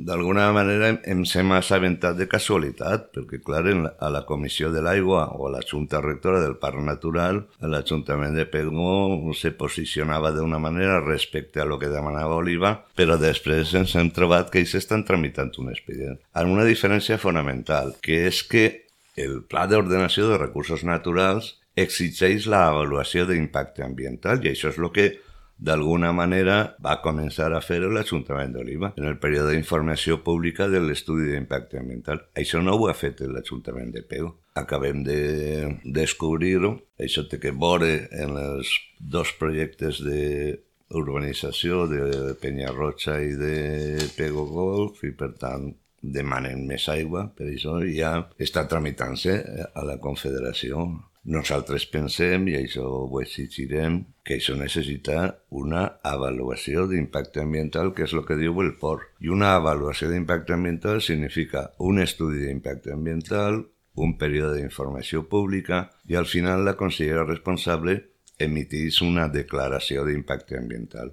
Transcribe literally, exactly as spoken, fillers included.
d'alguna manera em sembla assabentat de casualitat, perquè, clar, la, a la Comissió de l'Aigua o a la Junta Rectora del Parc Natural, l'Ajuntament de Pego se posicionava d'una manera respecte a lo que demanava Oliva, però després ens hem trobat que ells estan tramitant un expedient. Amb una diferència fonamental, que és que el Pla d'Ordenació de Recursos Naturals exigeix l'avaluació d'impacte ambiental i això és el que d'alguna manera va començar a fer l'Ajuntament d'Oliva en el període d'informació pública de l'estudi d'impacte ambiental. Això no ho ha fet l'Ajuntament de Pego. Acabem de descobrir-ho. Això té que veure en els dos projectes d'urbanització de Penyarroja i de Pego Golf i, per tant, demanen més aigua, per això ja està tramitant-se a la Confederació. Nosaltres pensem, i això ho exigirem, que això necessita una avaluació d'impacte ambiental, que és el que diu el P O R. I una avaluació d'impacte ambiental significa un estudi d'impacte ambiental, un període d'informació pública i al final la consellera responsable emitís una declaració d'impacte ambiental.